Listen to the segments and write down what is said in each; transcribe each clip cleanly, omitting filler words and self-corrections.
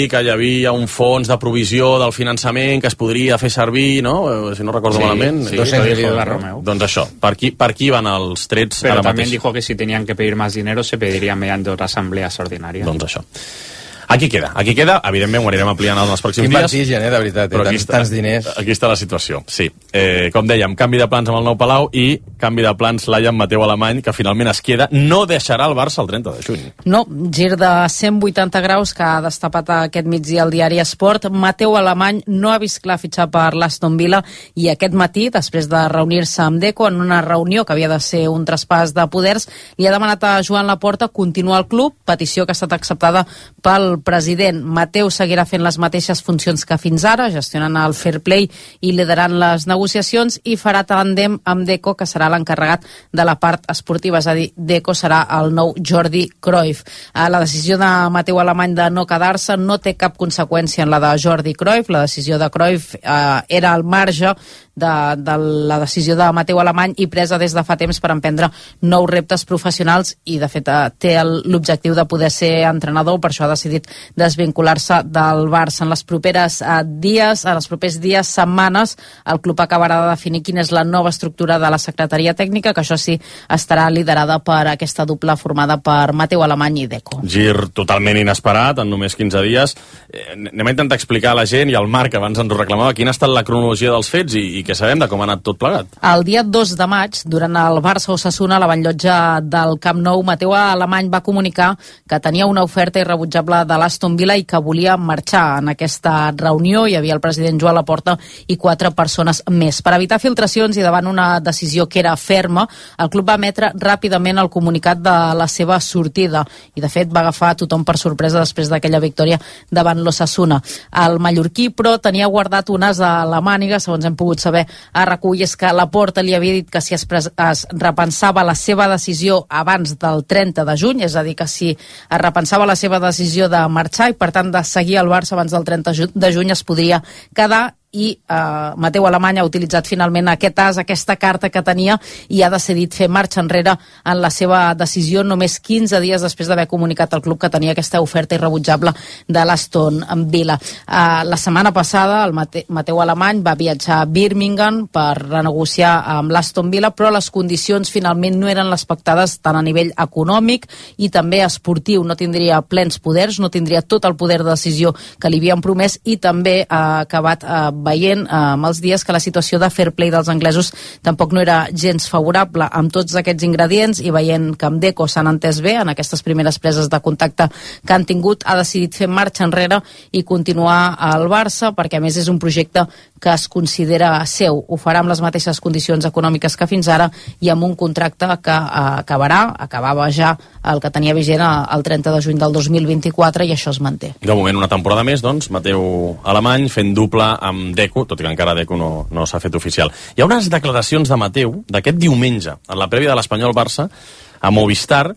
que hi havia un fons de provisió del finançament que es podria fer servir, no? Si no recordo malament. Sí, 200 millones de Romeu. Doncs això, per aquí van els trets. Pero también dijo que si tenían que pedir más dinero se pediría mediante otras asambleas ordinàries. Doncs això. Aquí queda, evidentment ho anirem ampliant en els pròxims dies. Quin vertigen, de veritat, tants diners. Aquí està la situació, sí. Com dèiem, canvi de plans amb el nou Palau i canvi de plans Laia amb Mateu Alemany, que finalment es queda, no deixarà el Barça el 30 de juny. No, gir de 180 graus que ha destapat aquest migdia el diari Esport. Mateu Alemany no ha vist clar fitxar per l'Aston Villa i aquest matí, després de reunir-se amb Deco en una reunió que havia de ser un traspàs de poders, li ha demanat a Joan Laporta continuar al club, petició que ha estat acceptada pel president. Mateu seguirà fent les mateixes funcions que fins ara, gestionant el fair play i liderant les negociacions, i farà tàndem amb Deco, que serà l'encarregat de la part esportiva, és a dir, Deco serà el nou Jordi Cruyff. La decisió de Mateu Alemany de no quedar-se no té cap conseqüència en la de Jordi Cruyff. La decisió de Cruyff era al marge de la decisió de Mateu Alemany i presa des de fa temps per emprendre nous reptes professionals, i de fet té l'objectiu de poder ser entrenador. Per això ha decidit desvincular-se del Barça. En els propers dies, setmanes, el club acabarà de definir quina és la nova estructura de la secretaria tècnica, que això sí estarà liderada per aquesta dupla formada per Mateu Alemany i Deco. Gir totalment inesperat, en només 15 dies. Anem a intentar explicar a la gent, i al Marc abans ens ho reclamava, quina ha estat la cronologia dels fets i què sabem de com ha anat tot plegat. El dia 2 de maig, durant el Barça-Osasuna, a la Vallllotja del Camp Nou, Mateu Alemany va comunicar que tenia una oferta irrebutjable de l'Aston Villa i que volia marxar. En aquesta reunió hi havia el president Joan Laporta i 4 persones més. Per evitar filtracions i davant una decisió que era ferma, el club va emetre ràpidament el comunicat de la seva sortida i, de fet, va agafar tothom per sorpresa després d'aquella victòria davant l'Osasuna. El mallorquí, però, tenia guardat un as a la màniga, segons hem pogut saber a RAC1, i és que Laporta li havia dit que si es repensava la seva decisió abans del 30 de juny, és a dir, que si es repensava la seva decisió de marxar i, per tant, de seguir al Barça abans del 30 de juny, es podria quedar, i Mateu Alemany ha utilitzat finalment aquest as, aquesta carta que tenia, i ha decidit fer marxa enrere en la seva decisió només 15 dies després d'haver comunicat al club que tenia aquesta oferta irrebutjable de l'Aston Villa. La setmana passada el Mateu Alemany va viatjar a Birmingham per renegociar amb l'Aston Villa, però les condicions finalment no eren les pactades tant a nivell econòmic i també esportiu. No tindria plens poders, no tindria tot el poder de decisió que li havien promès, i també ha acabat veient amb els dies que la situació de fair play dels anglesos tampoc no era gens favorable. Amb tots aquests ingredients i veient que amb Deco s'han entès bé en aquestes primeres preses de contacte que han tingut, ha decidit fer marxa enrere i continuar al Barça, perquè a més és un projecte que es considera seu. Ho farà amb les mateixes condicions econòmiques que fins ara i amb un contracte que acabava ja el que tenia vigent el 30 de juny del 2024, i això es manté. De moment una temporada més, doncs, Mateu Alemany fent dupla amb Deco, tot i que encara Deco no s'ha fet oficial. Hi ha unes declaracions de Mateu d'aquest diumenge, en la prèvia de l'Espanyol-Barça, a Movistar,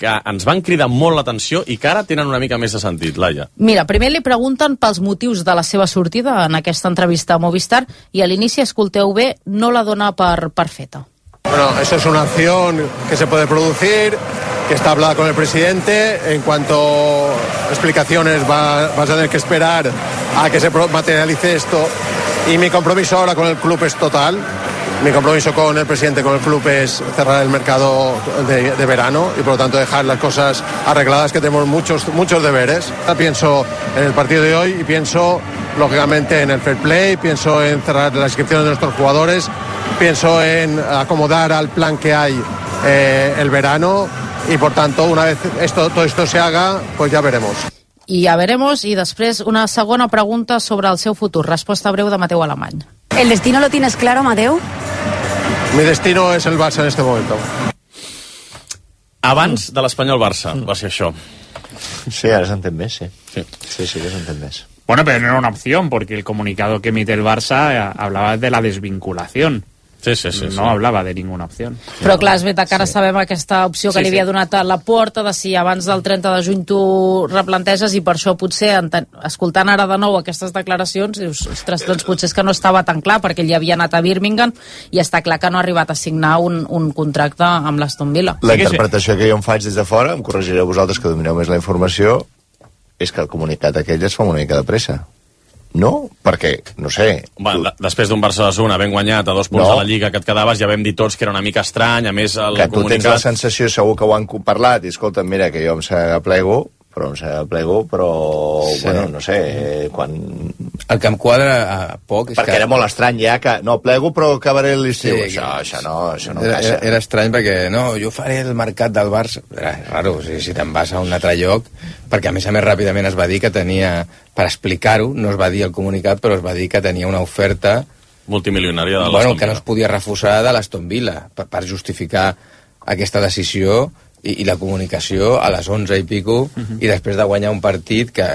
que ens van cridar molt l'atenció i que ara tenen una mica més de sentit, Laia. Mira, primer li pregunten pels motius de la seva sortida en aquesta entrevista a Movistar, i a l'inici, escolteu bé, no la dona per feta. Bueno, eso es una acción que se puede producir, que está hablada con el presidente. En cuanto a explicaciones vas a tener que esperar a que se materialice esto. Y mi compromiso ahora con el club es total. Mi compromiso con el presidente, con el club, es cerrar el mercado de verano y, por lo tanto, dejar las cosas arregladas, que tenemos muchos deberes. Pienso en el partido de hoy y pienso, lógicamente, en el fair play, pienso en cerrar las inscripciones de nuestros jugadores, pienso en acomodar al plan que hay el verano, y, por tanto, una vez todo esto se haga, pues ya veremos. I ja veremos, i després una segona pregunta sobre el seu futur. Resposta breu de Mateu Alemany. ¿El destino lo tienes claro, Mateu? Mi destino es el Barça en este momento. Abans de l'Espanyol-Barça va ser això. Sí, ara s'entén més, sí. Sí, que s'entén més. Bueno, pero no era una opción, porque el comunicado que emite el Barça hablaba de la desvinculación. Sí. No hablava de ninguna opció. Però clar, és veritat que ara sabem aquesta opció que li havia donat a Laporta, de si abans del 30 de juny tu replanteges, i per això potser, escoltant ara de nou aquestes declaracions, dius, ostres, doncs potser és que no estava tan clar, perquè ell havia anat a Birmingham i està clar que no ha arribat a signar un contracte amb l'Aston Villa. La interpretació que jo em faig des de fora, em corregireu vosaltres que domineu més la informació, és que el comunicat aquell es fa una mica de pressa. No? Perquè, no sé... Després d'un Barça-Osasuna ben guanyat a 2 punts de la Lliga que et quedaves, ja vam dir tots que era una mica estrany, a més el comunicat... Que tu tens la sensació, segur que ho han parlat, i escolta, mira, que jo em s'aplego, però sí. Bueno, no sé, quan... El que em quadra poc és perquè era molt estrany ja que no plego però acabaré l'estiu, sí, això no encaixa. Era estrany perquè no, jo faré el mercat del Barça, era raro, si te'n vas a un altre lloc, perquè a més ràpidament es va dir que tenia, per explicar-ho, no es va dir el comunicat, però es va dir que tenia una oferta multimilionària de l'Aston Villa. Que no es podia refusar de l'Aston Villa, per justificar aquesta decisió i la comunicació a les 11 i pico, i després de guanyar un partit que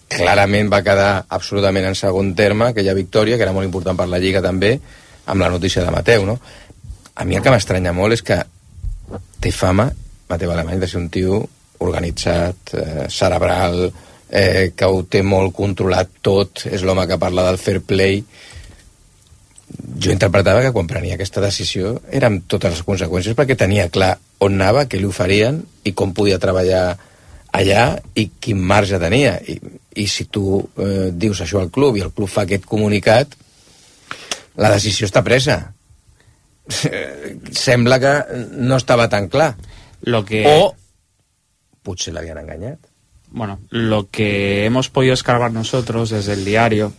clarament va quedar absolutament en segon terme, aquella victòria, que era molt important per la Lliga també, amb la notícia de Mateu, no? A mi el que m'estranya molt és que té fama, Mateu Alemany, de ser un tio organitzat, cerebral, que ho té molt controlat tot, és l'home que parla del fair play. Jo interpretava que quan prenia aquesta decisió era amb totes les conseqüències, perquè tenia clar on anava, què li oferien i com podia treballar allà i quin marge tenia. I si tu dius això al club i el club fa aquest comunicat, la decisió està presa. Sembla que no estava tan clar. O potser l'havien enganyat. Bueno, lo que hemos podido escarbar nosotros desde el diario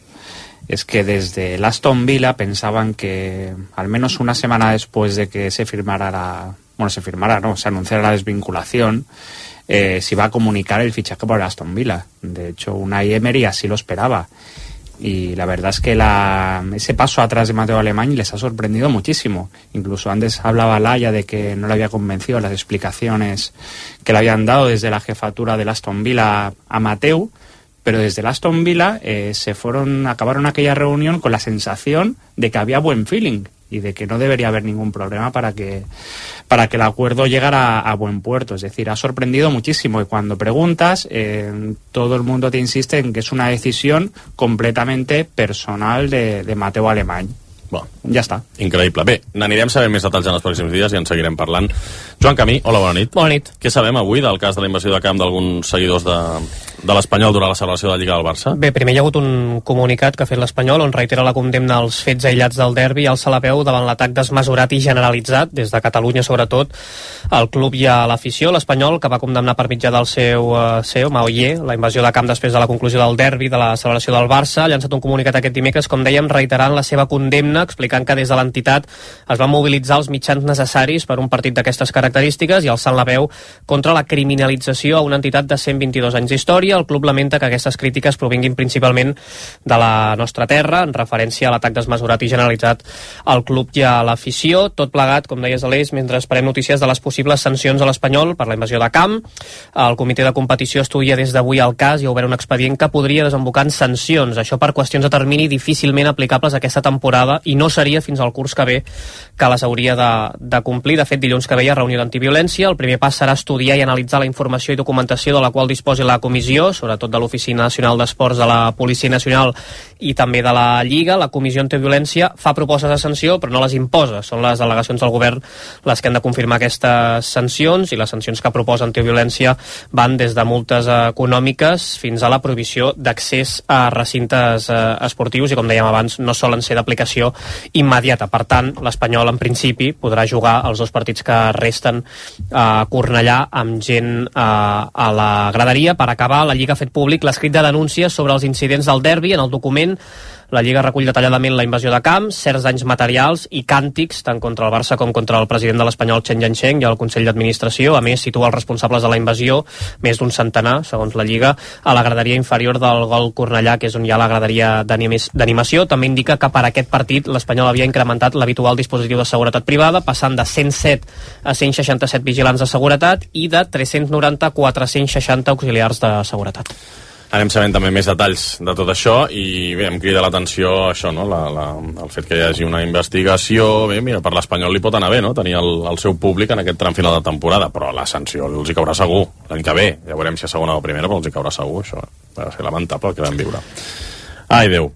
es que desde el Aston Villa pensaban que al menos una semana después de que se anunciara la desvinculación, se iba a comunicar el fichaje por el Aston Villa. De hecho, Unai Emery así lo esperaba. Y la verdad es que ese paso atrás de Mateu Alemany les ha sorprendido muchísimo. Incluso antes hablaba Laia de que no le había convencido las explicaciones que le habían dado desde la jefatura del Aston Villa a Mateu, pero desde el Aston Villa acabaron aquella reunión con la sensación de que había buen feeling y de que no debería haber ningún problema para que el acuerdo llegara a buen puerto. Es decir, ha sorprendido muchísimo, y cuando preguntas, todo el mundo te insiste en que es una decisión completamente personal de Mateu Alemany. Bueno, ja està. Increïble. Bé, n'anirem sabent més detalls en els pròxims dies i en seguirem parlant. Joan Camí, hola, bona nit. Bona nit. Què sabem avui del cas de la invasió de camp d'alguns seguidors de l'Espanyol durant la celebració de la Lliga del Barça? Bé, primer hi ha hagut un comunicat que ha fet l'Espanyol on reitera la condemna als fets aïllats del derbi i alça la veu davant l'atac desmesurat i generalitzat, des de Catalunya sobretot, al club i a l'afició. L'Espanyol, que va condemnar per mitjà del seu CEO, Maoyer, la invasió de camp després de la conclusió del derbi de la celebració del Barça, ha llançat un comunicat aquest dimecres, com dèiem, reiterant la seva condemna, explicant que des de l'entitat es van mobilitzar els mitjans necessaris per un partit d'aquestes característiques i alçant la veu contra la criminalització a una entitat de 122 anys d'història. El club lamenta que aquestes crítiques provinguin principalment de la nostra terra, en referència a l'atac desmesurat i generalitzat al club i a l'afició. Tot plegat, com deies, Aleix, mentre esperem notícies de les possibles sancions a l'Espanyol per la invasió de camp. El comitè de competició estudia des d'avui el cas i ha obert un expedient que podria desembocar en sancions. Això per qüestions de termini difícilment aplicables aquesta temporada i no seria fins al curs que ve que les hauria de complir. De fet, dilluns que ve hi ha reunió d'antiviolència. El primer pas serà estudiar i analitzar la informació i documentació de la qual disposi la comissió, sobretot de l'Oficina Nacional d'Esports de la Policia Nacional i també de la Lliga. La comissió antiviolència fa propostes de sanció però no les imposa. Són les delegacions del govern les que han de confirmar aquestes sancions, i les sancions que proposa antiviolència van des de multes econòmiques fins a la prohibició d'accés a recintes esportius i, com dèiem abans, no solen ser d'aplicació immediata. Per tant, l'Espanyol en principi podrà jugar els 2 partits que resten a Cornellà amb gent a la graderia. Per acabar, la Lliga ha fet públic l'escrit de denúncies sobre els incidents del derbi. En el document, la Lliga recull detalladament la invasió de camp, certs danys materials i càntics tant contra el Barça com contra el president de l'Espanyol, Chen Jiancheng, i el Consell d'Administració. A més, situa els responsables de la invasió, més d'un centenar, segons la Lliga, a la graderia inferior del Gol Cornellà, que és on hi ha la graderia d'animació. També indica que per aquest partit l'Espanyol havia incrementat l'habitual dispositiu de seguretat privada, passant de 107 a 167 vigilants de seguretat i de 390 a 460 auxiliars de seguretat. Anem sabent també més detalls de tot això i bé, em crida l'atenció això, no? El fet que hi hagi una investigació. Bé, mira, per l'Espanyol li pot anar bé, no? Tenir el seu públic en aquest tram final de temporada, però la sanció els hi caurà segur l'any que ve. Ja veurem si a segona o primera, però els hi caurà segur, això. Va ser lamentable el que vam viure. Ai, Déu.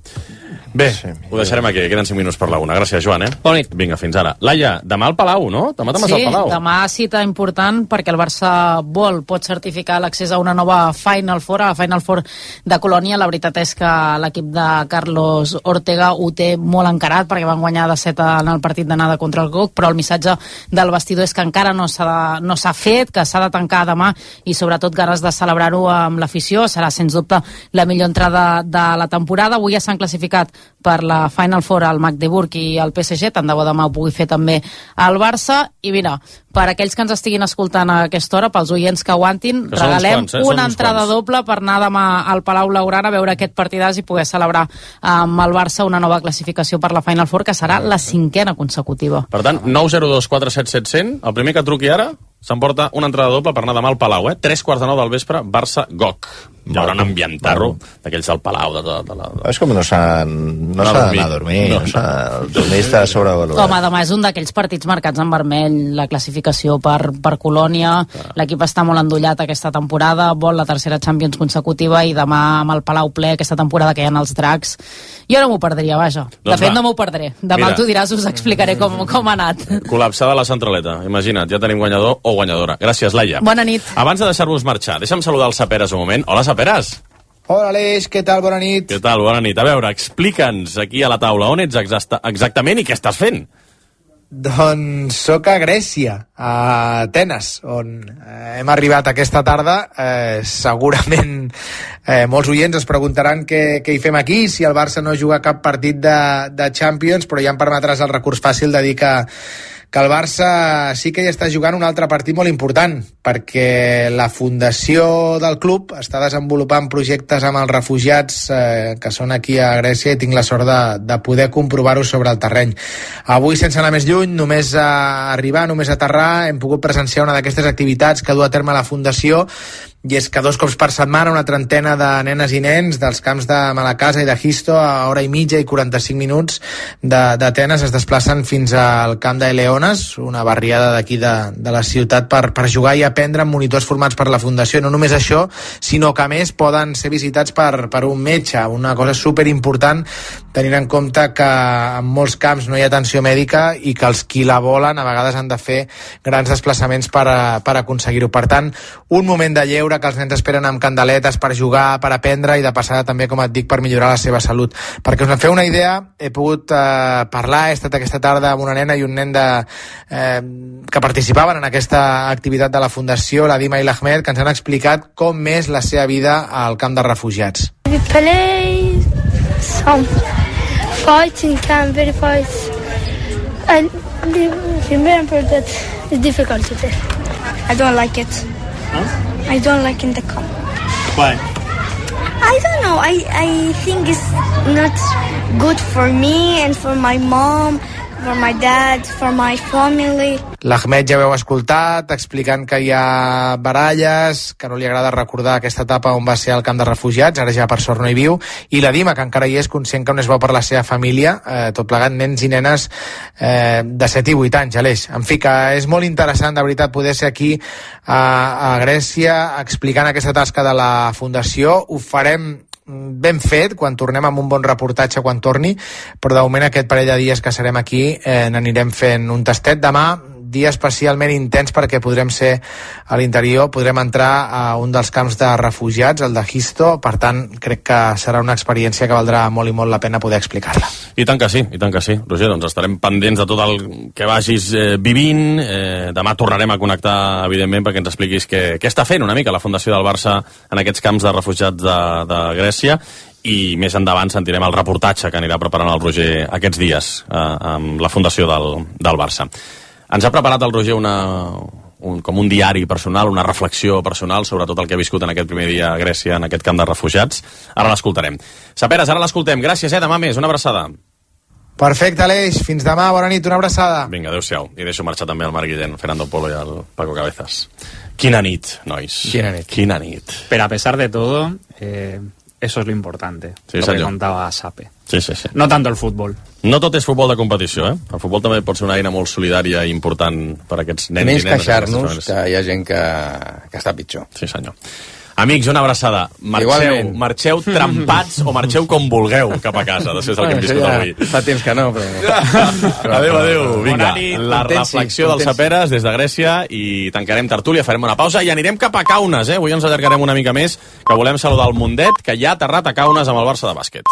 Bé, ho deixarem aquí, queden 5 minuts per la 1. Gràcies, Joan, Bona nit. Vinga, fins ara. Laia, demà al Palau, no? Demà te'n vas al Palau. Sí, demà cita important perquè el Barça pot certificar l'accés a una nova Final Four, a la Final Four de Colònia. La veritat és que l'equip de Carlos Ortega ho té molt encarat perquè van guanyar de 7 en el partit d'anada contra el GOC, però el missatge del vestidor és que encara no s'ha fet, que s'ha de tancar demà i sobretot ganes de celebrar-ho amb l'afició. Serà sens dubte la millor entrada de la temporada. Avui ja s'han classificat per la Final Four al Magdeburg i el PSG, tant de bo demà ho pugui fer també al Barça. I mira, per aquells que ens estiguin escoltant a aquesta hora, pels oients que aguantin, que regalem quants, una entrada doble per anar demà al Palau Blaugrana a veure aquest partidàs i poder celebrar amb el Barça una nova classificació per la Final Four, que serà la 5a consecutiva. Per tant, 902 477 100, el primer que truqui ara s'emporta una entrada doble per anar demà al Palau, 3:45 del vespre, Barça-GOC. Hi haurà un ambientarro d'aquells del Palau. És com no s'ha d'anar a dormir. El dormir està sobrevalorat. Home, demà és un d'aquells partits marcats en vermell, la classificació per Colònia. L'equip està molt endollat aquesta temporada, vol la tercera Champions consecutiva i demà amb el Palau ple, aquesta temporada que hi ha els dracs. Jo no m'ho perdria, vaja. De fet, no m'ho perdré. Demà tu diràs, us explicaré com ha anat. Col·lapsada la centraleta, imagina't, ja tenim guanyador o guanyadora. Gràcies, Laia. Bona nit. Abans de deixar-vos marxar, deixa'm saludar el Saperas un moment. Hola, Saperas. Hola, Aleix, què tal? Bona nit. Què tal? Bona nit. A veure, explica'ns aquí a la taula on ets exactament i què estàs fent. Doncs sóc a Grècia, a Atenes, on hem arribat aquesta tarda. Segurament molts oients es preguntaran què hi fem aquí, si el Barça no juga cap partit de Champions, però ja em permetràs el recurs fàcil de dir que el Barça sí que hi està jugant un altre partit molt important, perquè la fundació del club està desenvolupant projectes amb els refugiats que són aquí a Grècia i tinc la sort de poder comprovar-ho sobre el terreny. Avui, sense anar més lluny, només a arribar, només a aterrar, hem pogut presenciar una d'aquestes activitats que du a terme la fundació, i és que 2 cops per setmana una trentena de nenes i nens dels camps de Malacasa i de Gisto a hora i mitja i 45 minuts d'Atenes es desplacen fins al camp de Eleones, una barriada d'aquí de la ciutat, per jugar i aprendre amb monitors formats per la Fundació. No només això, sinó que a més poden ser visitats per un metge, una cosa superimportant tenint en compte que en molts camps no hi ha atenció mèdica i que els qui la volen a vegades han de fer grans desplaçaments per aconseguir-ho. Per tant, un moment de lleure que els nens esperen amb candeletes per jugar, per aprendre i de passada també, com et dic, per millorar la seva salut. Perquè us en feu una idea, he pogut parlar, he estat aquesta tarda amb una nena i un nen que participaven en aquesta activitat de la Fundació, la Dima i l'Ahmed, que ens han explicat com és la seva vida al camp de refugiats. We play some fighting camp, very fights. I remember that it's difficult today. I don't like it. Huh? I don't like in the camp. Why? I don't know. I think it's not good for me and for my mom, for my dad, for my family. L'Ahmed ja veu escoltat, explicant que hi ha baralles, que no li agrada recordar aquesta etapa on va ser al camp de refugiats, ara ja per sort no hi viu, i la Dima, que encara hi és conscient que no és bo per la seva família, tot plegat nens i nenes de 7 i 8 anys, Aleix. En fi, que és molt interessant, de veritat, poder ser aquí a Grècia explicant aquesta tasca de la Fundació. Ho farem ben fet quan tornem amb un bon reportatge quan torni, però de moment aquest parell de dies que serem aquí n'anirem fent un tastet. Demà, dia especialment intens perquè podrem ser a l'interior, podrem entrar a un dels camps de refugiats, el de Gisto, per tant crec que serà una experiència que valdrà molt i molt la pena poder explicar-la. I tant que sí, Roger, doncs estarem pendents de tot el que vagis vivint. Demà tornarem a connectar, evidentment, perquè ens expliquis què està fent una mica la Fundació del Barça en aquests camps de refugiats de Grècia, i més endavant sentirem el reportatge que anirà preparant el Roger aquests dies amb la Fundació del Barça. Ens ha preparat el Roger com un diari personal, una reflexió personal sobre tot el que ha viscut en aquest primer dia a Grècia, en aquest camp de refugiats. Ara l'escoltarem. Saperas, ara l'escoltem. Gràcies, demà més. Una abraçada. Perfecte, Aleix. Fins demà. Bona nit. Una abraçada. Vinga, adéu-siau. I deixo marxar també el Marc Guillén, Fernando Polo i el Paco Cabezas. Quina nit, nois. Quina nit. Pero a pesar de todo, eso es lo importante. Sí, lo senyor. que contaba Sape. Sí. No tanto el fútbol. No tot és futbol de competició, eh? El futbol també pot ser una eina molt solidària i important per a aquests nens i nenes. Menys queixar-nos que hi ha gent que està pitjor. Sí, senyor. Amics, una abraçada. Marxeu trempats o marxeu com vulgueu cap a casa, després del que hem viscut avui. Fa temps que no, però... Adéu. Vinga, la reflexió dels Saperes des de Grècia i tancarem tertúlia, farem una pausa i anirem cap a Kaunas, eh? Avui ens allargarem una mica més, que volem saludar el Mundet, que ja ha aterrat a Kaunas amb el Barça de bàsquet.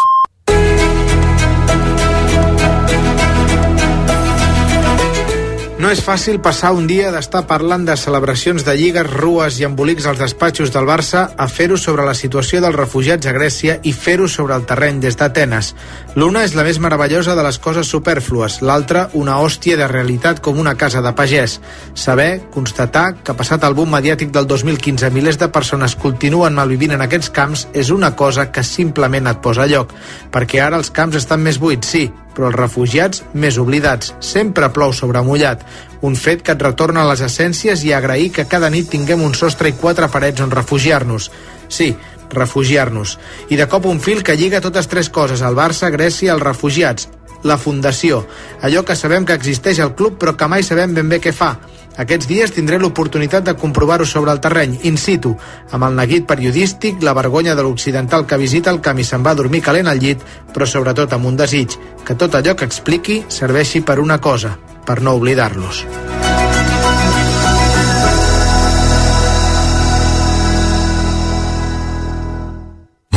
No és fàcil passar un dia d'estar parlant de celebracions de lligues, rues i embolics als despatxos del Barça a fer-ho sobre la situació dels refugiats a Grècia i fer-ho sobre el terreny des d'Atenes. L'una és la més meravellosa de les coses supèrflues, l'altra una hòstia de realitat com una casa de pagès. Saber, constatar que passat el boom mediàtic del 2015 milers de persones continuen malvivint en aquests camps és una cosa que simplement et posa a lloc, perquè ara els camps estan més buits, sí, però els refugiats més oblidats. Sempre plou sobre mullat. Un fet que et retorna a les essències i a agrair que cada nit tinguem un sostre i 4 parets on refugiar-nos. Sí, refugiar-nos. I de cop un fil que lliga totes 3 coses, el Barça, Grècia, els refugiats. La fundació. Allò que sabem que existeix al club però que mai sabem ben bé què fa. Aquests dies tindré l'oportunitat de comprovar-ho sobre el terreny, in situ, amb el neguit periodístic, la vergonya de l'occidental que visita el camp i se'n va a dormir calent al llit, però sobretot amb un desig, que tot allò que expliqui serveixi per una cosa, per no oblidar-los.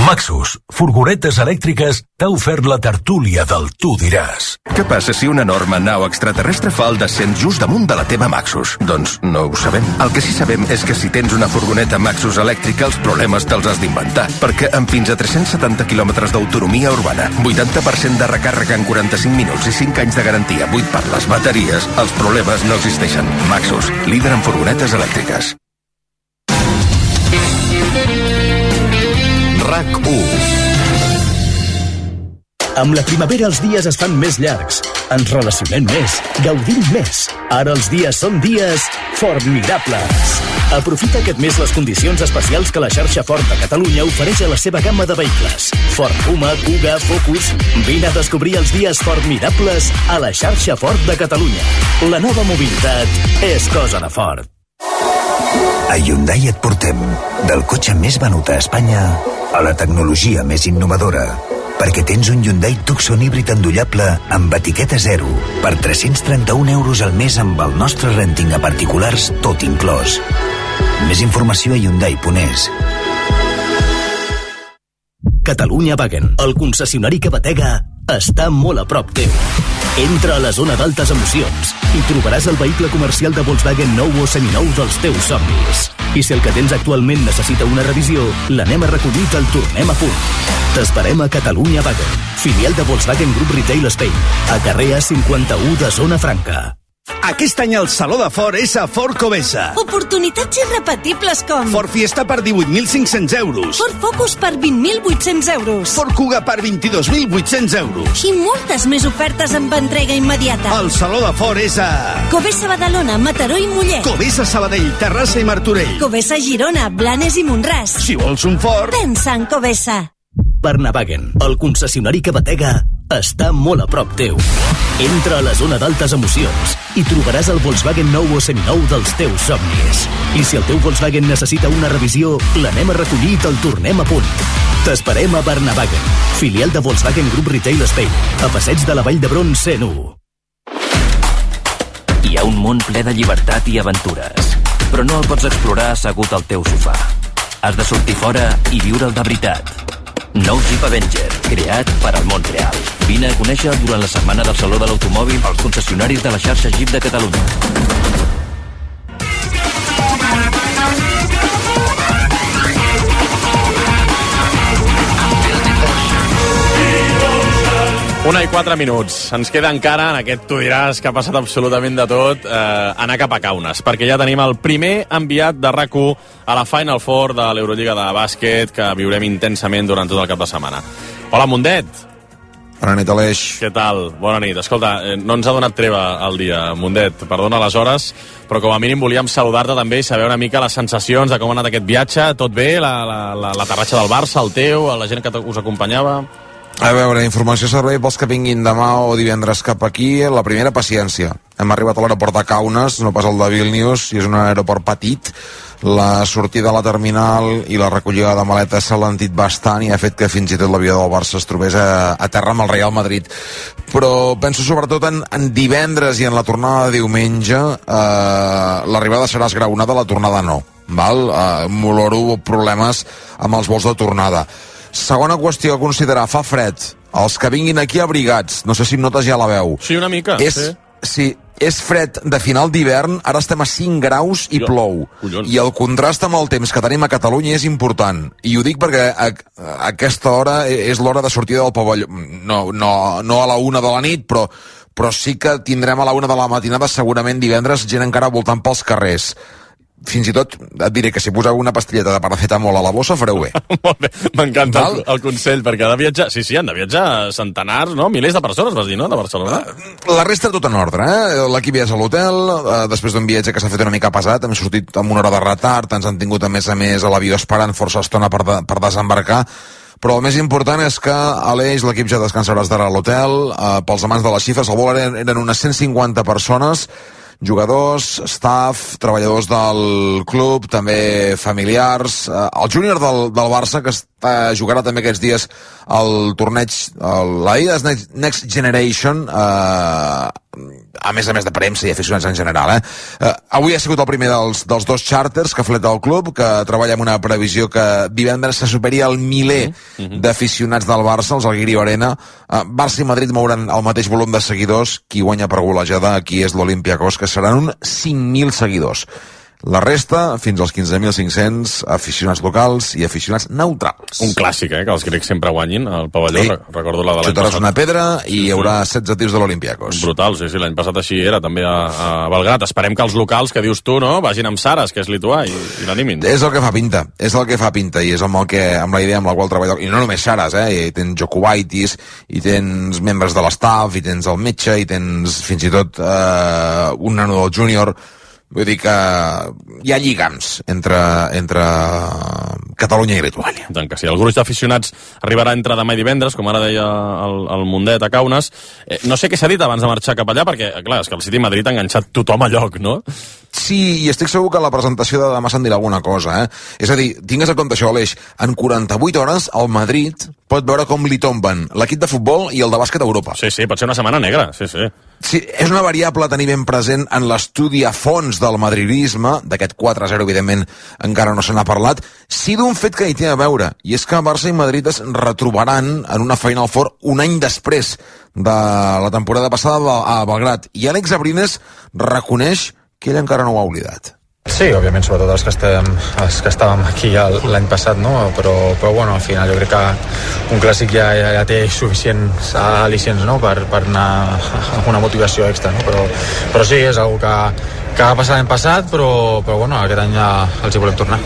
Maxus, furgonetes elèctriques, t'ha ofert la tertúlia del Tu diràs. Què passa si una enorme nau extraterrestre fa el descent just damunt de la teva Maxus? Doncs no ho sabem. El que sí sabem és que si tens una furgoneta Maxus elèctrica, els problemes te'ls has d'inventar, perquè amb fins a 370 quilòmetres d'autonomia urbana, 80% de recàrrega en 45 minuts i 5 anys de garantia buit per les bateries, els problemes no existeixen. Maxus, líder en furgonetes elèctriques. RAC1. Amb la primavera els dies es fan més llargs. Ens relacionem més, gaudim més. Ara els dies són dies formidables. Aprofita aquest mes les condicions especials que la xarxa Ford de Catalunya ofereix a la seva gamma de vehicles. Ford Puma, Kuga, Focus... Vine a descobrir els dies formidables a la xarxa Ford de Catalunya. La nova mobilitat és cosa de Ford. A Hyundai et portem del cotxe més venut a Espanya a la tecnologia més innovadora, perquè tens un Hyundai Tucson híbrid endollable amb etiqueta zero per 331 euros al mes amb el nostre renting a particulars tot inclòs. Més informació a Hyundai.es. Catalunya Wagen, el concessionari que batega, està molt a prop teu. Entra a la zona d'altes emocions i trobaràs el vehicle comercial de Volkswagen nou o seminou dels teus somnis. I si el que tens actualment necessita una revisió, l'anem a recollir i te'l tornem a punt. T'esperem a Catalunya Wagen, filial de Volkswagen Group Retail Spain, a carrer A51 de Zona Franca. Aquest any el Saló de Ford és a Ford Covesa. Oportunitats irrepetibles com Ford Fiesta per 18.500 euros. Ford Focus per 20.800 euros. Ford Kuga per 22.800 euros. I moltes més ofertes amb entrega immediata. El Saló de Ford és a Covesa Badalona, Mataró i Mollet. Covesa Sabadell, Terrassa i Martorell. Covesa Girona, Blanes i Montràs. Si vols un Ford, pensa en Covesa. Barnavagen, el concessionari que batega, està molt a prop teu. Entra a la zona d'altes emocions i trobaràs el Volkswagen nou o seminou dels teus somnis. I si el teu Volkswagen necessita una revisió, l'anem a recollir i te'l tornem a punt. T'esperem a Barnavagen, filial de Volkswagen Group Retail Spain, a Passeig de la Vall d'Hebron 101. Hi ha un món ple de llibertat i aventures, però no el pots explorar assegut al teu sofà. Has de sortir fora i viure'l de veritat. Nou Jeep Avenger, creat per al món real. Vine a conèixer durant la setmana del Saló de l'Automòbil els concessionaris de la xarxa Jeep de Catalunya. Una i 4 minuts. Ens queda encara, en aquest Tu diràs que ha passat absolutament de tot, anar cap a Kaunas, perquè ja tenim el primer enviat de RAC1 a la Final Four de l'Eurolliga de bàsquet que viurem intensament durant tot el cap de setmana. Hola, Mundet. Bona nit, Aleix. Què tal? Bona nit. Escolta, no ens ha donat treva el dia, Mundet. Perdona les hores, però com a mínim volíem saludar-te també i saber una mica les sensacions de com ha anat aquest viatge. Tot bé? L'aterratge del Barça, el teu, la gent que us acompanyava? A veure, informació servei pels que vinguin demà o divendres cap aquí. La primera, paciència. Hem arribat a l'aeroport de Kaunas, no pas el de Vilnius, i és un aeroport petit, La sortida a la terminal i la recollida de maletes s'ha alentit bastant i ha fet que fins i tot l'avió del Barça es trobés a terra amb el Real Madrid. Però penso sobretot en divendres i en la tornada de diumenge. L'arribada serà esgraonada, la tornada no. M'oloro problemes amb els vols de tornada. Segona qüestió a considerar, fa fred. Els que vinguin aquí abrigats, no sé si notes ja la veu. Sí, una mica. Sí, és fred de final d'hivern, ara estem a 5 graus i plou. Collons. I el contrast amb el temps que tenim a Catalunya és important. I ho dic perquè a aquesta hora és l'hora de sortida del pavelló. No a la 1 de la nit, però sí que tindrem a la 1 de la matinada segurament divendres gent encara voltant pels carrers. Fins i tot et diré que si poseu una pastilleta de paracetamol a la bossa fareu bé. Molt bé, m'encanta el consell, perquè ha de viatjar, sí, han de viatjar centenars, no? Milers de persones, vas dir, no?, de Barcelona. La resta tot en ordre, l'equip ja és a l'hotel, després d'un viatge que s'ha fet una mica pesat, hem sortit amb una hora de retard, ens han tingut a més a l'avió esperant força estona per desembarcar, però el més important és que Aleix, l'equip ja descansarà a l'hotel. Pels amants de les xifres, al vol eren unes 150 persones, jugadors, staff, treballadors del club, també familiars. El júnior del Barça, que jugarà també aquests dies el torneig, l'Adidas Next Generation, a més de premsa i aficionats en general. Avui ha sigut el primer dels dos xàrters que ha fet el club, que treballa amb una previsió que divendres se superi el miler d'aficionats del Barça, els Alguirio Arena. Barça i Madrid mouran el mateix volum de seguidors. Qui guanya per golejada aquí és l'Olympiacos, que seran uns 5.000 seguidors. La resta, fins als 15.500 aficionats locals i aficionats neutrals. Un clàssic, que els grecs sempre guanyin al pavelló. Sí. Recordo la de l'any passat. Una pedra i hi haurà 16 tirs de l'Olympiacos. Brutal, sí, l'any passat així era, també a Belgrat. Esperem que els locals, que dius tu, no?, vagin amb Saras, que és lituà, i l'animin. És el que fa pinta, i és amb la idea amb la qual treballa. I no només Saras, hi tens Jokubaitis, i tens membres de l'estaf, i tens el metge, i tens fins i tot un nano del júnior. Vull dir que hi ha lligams entre Catalunya i Lituània. Tant que sí. El gruix d'aficionats arribarà entre demà i divendres, com ara deia el Mundet a Kaunas. No sé què s'ha dit abans de marxar cap allà, perquè, clar, és que el City Madrid ha enganxat tothom a lloc, no? Sí, i estic segur que a la presentació de demà se'n dirà alguna cosa, És a dir, tingues en compte això, Aleix, en 48 hores el Madrid pot veure com li tomben l'equip de futbol i el de bàsquet a Europa. Sí, pot ser una setmana negra, sí. Sí, és una variable a tenir ben present en l'estudi a fons del madridisme. D'aquest 4-0, evidentment, encara no se n'ha parlat. Sí d'un fet que hi té a veure, i és que Barça i Madrid es retrobaran en una Final Four un any després de la temporada passada a Belgrat. I Àlex Abrines reconeix que ell encara no ho ha oblidat. Sí, òbviament, sobretot els que estàvem aquí l'any passat, no? Però bueno, al final jo crec que un clàssic ja té suficients al·licients, no?, per anar amb una motivació extra, no? Però sí, és una que va passar l'any passat, però bueno, aquest any ja els hi volem tornar.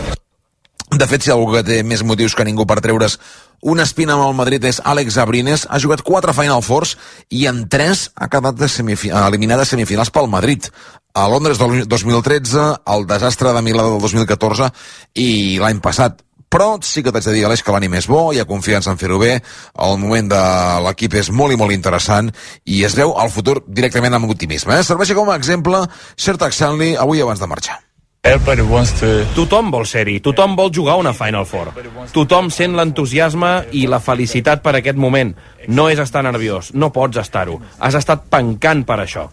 De fet, si algú que té més motius que ningú per treure's una espina amb el Madrid és Àlex Abrines. Ha jugat 4 Final Fours i en 3 ha quedat eliminat de semifinals pel Madrid. A Londres 2013, el desastre de Milà del 2014 i l'any passat. Però sí que t'haig de dir, Aleix, que l'ànim és bo, hi ha confiança en fer-ho bé, el moment de l'equip és molt i molt interessant i es veu el futur directament amb optimisme. Serveixi com a exemple Shertak Shanley avui abans de marxar. Tothom vol ser-hi, tothom vol jugar una Final Four. Tothom sent l'entusiasme i la felicitat per aquest moment. No és estar nerviós, no pots estar-ho. Has estat pencant per això.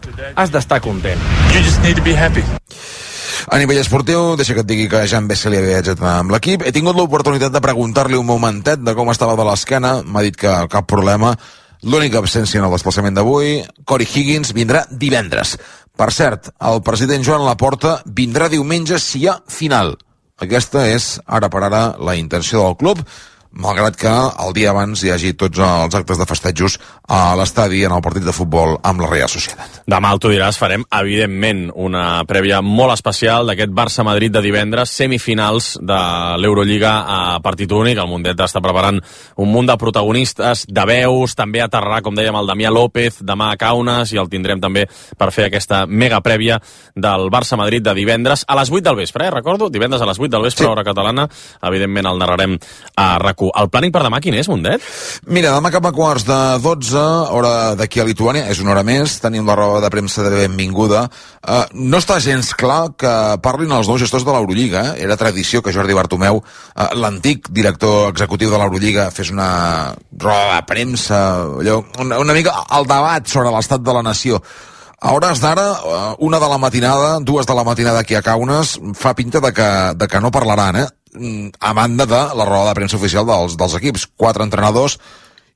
Has d'estar content. You just need to be happy. A nivell esportiu, deixa que et digui que Jan Vesely havia viatjat amb l'equip. He tingut l'oportunitat de preguntar-li un momentet de com estava de l'esquena. M'ha dit que cap problema. L'única absència en el desplaçament d'avui, Corey Higgins, vindrà divendres. Per cert, el president Joan Laporta vindrà diumenge si hi ha final. Aquesta és, ara per ara, la intenció del club, malgrat que el dia abans hi hagi tots els actes de festejos a l'estadi en el partit de futbol amb la Real Societat. Demà, tu diràs, farem, evidentment, una prèvia molt especial d'aquest Barça-Madrid de divendres, semifinals de l'Eurolliga a partit únic. El Mundet està preparant un munt de protagonistes, de veus, també aterrarà, com dèiem, el Damià López demà a Kaunas, i el tindrem també per fer aquesta mega prèvia del Barça-Madrid de divendres a les 8 del vespre, recordo, divendres a les 8 del vespre, hora catalana. Evidentment el narrarem a RAC1 RAC1. El plàning per demà quin és, Mundet? Mira, demà cap a 11:45, hora d'aquí a Lituània, és una hora més, tenim la roda de premsa de benvinguda. No està gens clar que parlin els nous gestors de l'Eurolliga. Era tradició que Jordi Bartomeu, l'antic director executiu de l'Eurolliga, fes una roda de premsa, allò, una mica el debat sobre l'estat de la nació. A hores d'ara, 1 de la matinada, 2 de la matinada aquí a Kaunas, fa pinta de que no parlaran, a banda de la roda de premsa oficial dels equips. 4 entrenadors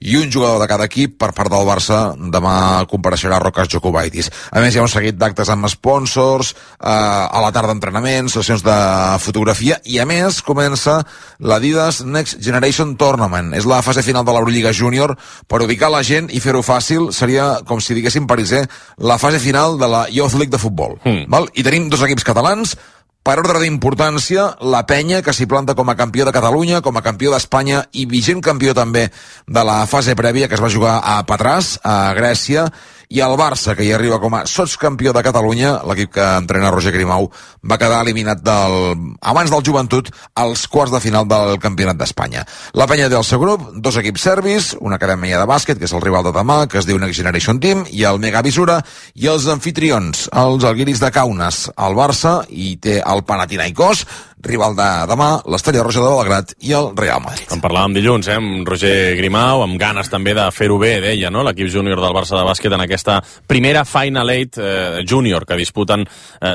i un jugador de cada equip. Per part del Barça demà compareixerà Rokas Jokubaitis. A més, hi ha un seguit d'actes amb sponsors, a la tarda entrenaments, sessions de fotografia, i a més comença l'Adidas Next Generation Tournament. És la fase final de l'Eurolliga Júnior. Per ubicar la gent i fer-ho fàcil, seria com si diguéssim Pariser, la fase final de la Youth League de futbol. Val? I tenim 2 equips catalans. Per ordre d'importància, la Penya, que s'hi planta com a campió de Catalunya, com a campió d'Espanya i vigent campió també de la fase prèvia que es va jugar a Patràs, a Grècia, i el Barça, que hi arriba com a sotscampió de Catalunya. L'equip que entrena Roger Grimau va quedar eliminat abans del Joventut als quarts de final del Campionat d'Espanya. La Penya té el seu grup, 2 equips serbis, una acadèmia de bàsquet, que és el rival de demà, que es diu Next Generation Team, i el Mega Visura, i els anfitrions, els Alguiris de Kaunas. El Barça i té el Panathinaikos, rival de demà, l'Estrella Roja de Belgrad i el Real Madrid. En parlàvem dilluns, amb Roger Grimau, amb ganes també de fer-ho bé, deia, no?, l'equip júnior del Barça de bàsquet en aquesta primera Final 8 júnior que disputen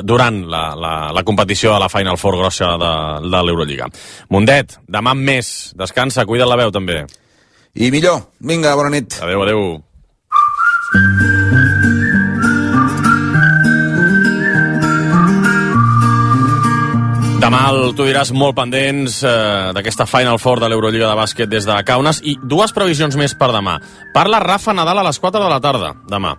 durant la competició a la Final Four grossa de l'Eurolliga. Mundet, demà amb més. Descansa, cuida't la veu també. I millor. Vinga, bona nit. Adéu, adéu. Demà tu diràs molt pendents d'aquesta Final Four de l'Eurolliga de bàsquet des de Kaunas, i 2 previsions més per demà. Parla Rafa Nadal a les 4 de la tarda, demà.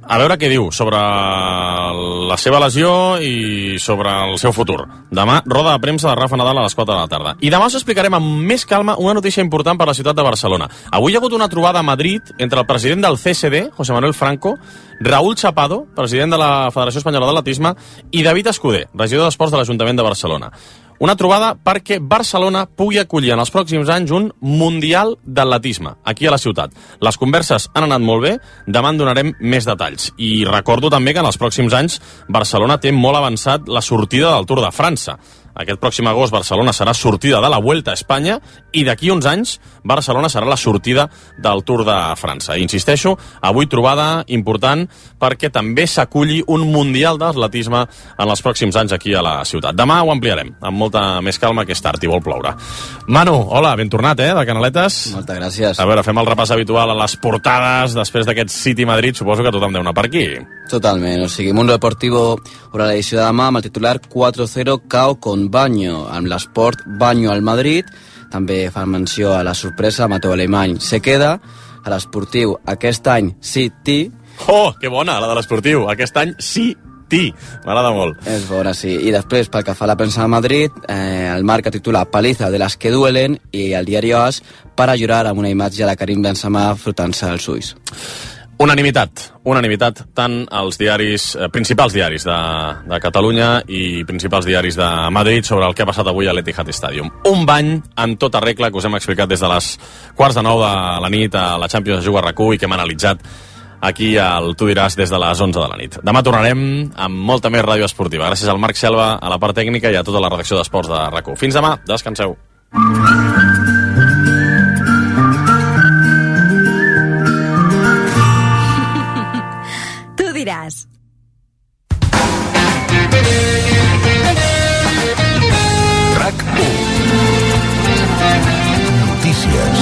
A veure què diu sobre la seva lesió i sobre el seu futur. Demà, roda de premsa de Rafa Nadal a les 4 de la tarda. I demà us explicarem amb més calma una notícia important per a la ciutat de Barcelona. Avui hi ha hagut una trobada a Madrid entre el president del CSD, José Manuel Franco, Raúl Chapado, president de la Federació Espanyola d'Atletisme, i David Escudé, regidor d'Esports de l'Ajuntament de Barcelona. Una trobada perquè Barcelona pugui acollir en els pròxims anys un Mundial d'Atletisme, aquí a la ciutat. Les converses han anat molt bé, demà en donarem més detalls. I recordo també que en els pròxims anys Barcelona té molt avançat la sortida del Tour de França. Aquest pròxim agost Barcelona serà sortida de la Vuelta a Espanya i d'aquí uns anys Barcelona serà la sortida del Tour de França. I insisteixo, avui trobada important perquè també s'aculli un Mundial d'Atletisme en els pròxims anys aquí a la ciutat. Demà ho ampliarem, amb molta més calma, que és tard i vol ploure. Manu, hola, ben tornat, de Canaletes. Moltes gràcies. A veure, fem el repàs habitual a les portades després d'aquest City Madrid. Suposo que tothom deu anar per aquí. Totalment, o sigui, Mundo Deportivo obre l'edició de demà amb el titular 4-0 KO con Baño, amb l'esport Baño al Madrid. També fa menció a la sorpresa, Mateu Alemany se queda. A l'esportiu, aquest any City. Oh, que bona, la de l'esportiu. Aquest any City. M'agrada molt. És bona, sí. I després, pel que fa a la premsa de Madrid, el Marca titula Paliza de las que duelen, i el diari AS para llorar, amb una imatge de Karim Benzema frotant-se als ulls. Unanimitat tant als diaris, principals diaris de Catalunya i principals diaris de Madrid sobre el que ha passat avui a l'Etihad Stadium. Un bany en tota regla que us hem explicat des de les 8:45 de la nit a la Champions de Juga RAC1 i que hem analitzat aquí al Tu diràs des de les 11 de la nit. Demà tornarem amb molta més ràdio esportiva. Gràcies al Marc Selva, a la part tècnica i a tota la redacció d'Esports de RAC1. Fins demà, descanseu. Diràs. RAC1. Notícies.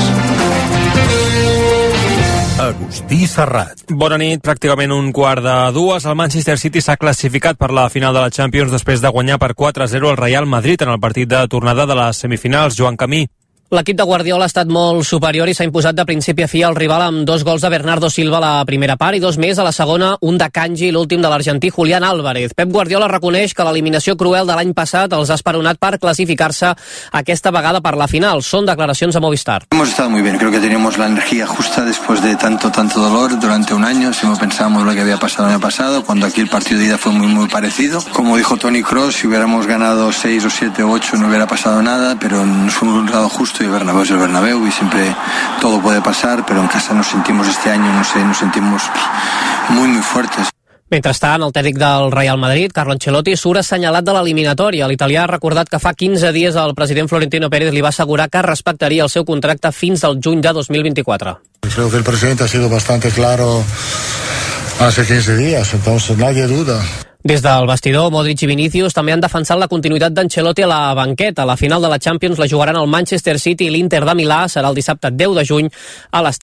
Agustí Serrat. Bona nit. Pràcticament 1:15. El Manchester City s'ha classificat per la final de la Champions després de guanyar per 4-0 al Real Madrid en el partit de tornada de les semifinals. Joan Camí. L'equip de Guardiola ha estat molt superior i s'ha imposat de principi a fi al rival amb 2 gols de Bernardo Silva a la primera part i 2 més a la segona, un de Kanji i l'últim de l'argentí Julián Álvarez. Pep Guardiola reconeix que l'eliminació cruel de l'any passat els ha esperonat per classificar-se aquesta vegada per la final. Són declaracions a Movistar. Hemos estado muy bien, creo que teníamos la energía justa después de tanto dolor durante un año. Si no pensábamos lo que había pasado el año pasado, cuando aquí el partido de ida fue muy parecido. Como dijo Toni Kroos, si hubiéramos ganado 6 o 7 o 8 no hubiera pasado nada, pero nos fue un resultado justo. gusto y el Bernabéu es el Bernabéu y siempre todo puede pasar, pero en casa nos sentimos este año, no sé, nos sentimos muy, muy fuertes. Mentrestant, el tècnic del Real Madrid, Carlo Ancelotti, surt assenyalat de l'eliminatòria. L'italià ha recordat que fa 15 dies el president Florentino Pérez li va assegurar que respectaria el seu contracte fins al juny de 2024. Creo que el presidente ha sido bastante claro hace 15 días, entonces nadie duda. Des del vestidor, Modric i Vinícius també han defensat la continuïtat d'Ancelotti a la banqueta. La final de la Champions la jugaran el Manchester City i l'Inter de Milà. Serà el dissabte 10 de juny a l'estadi.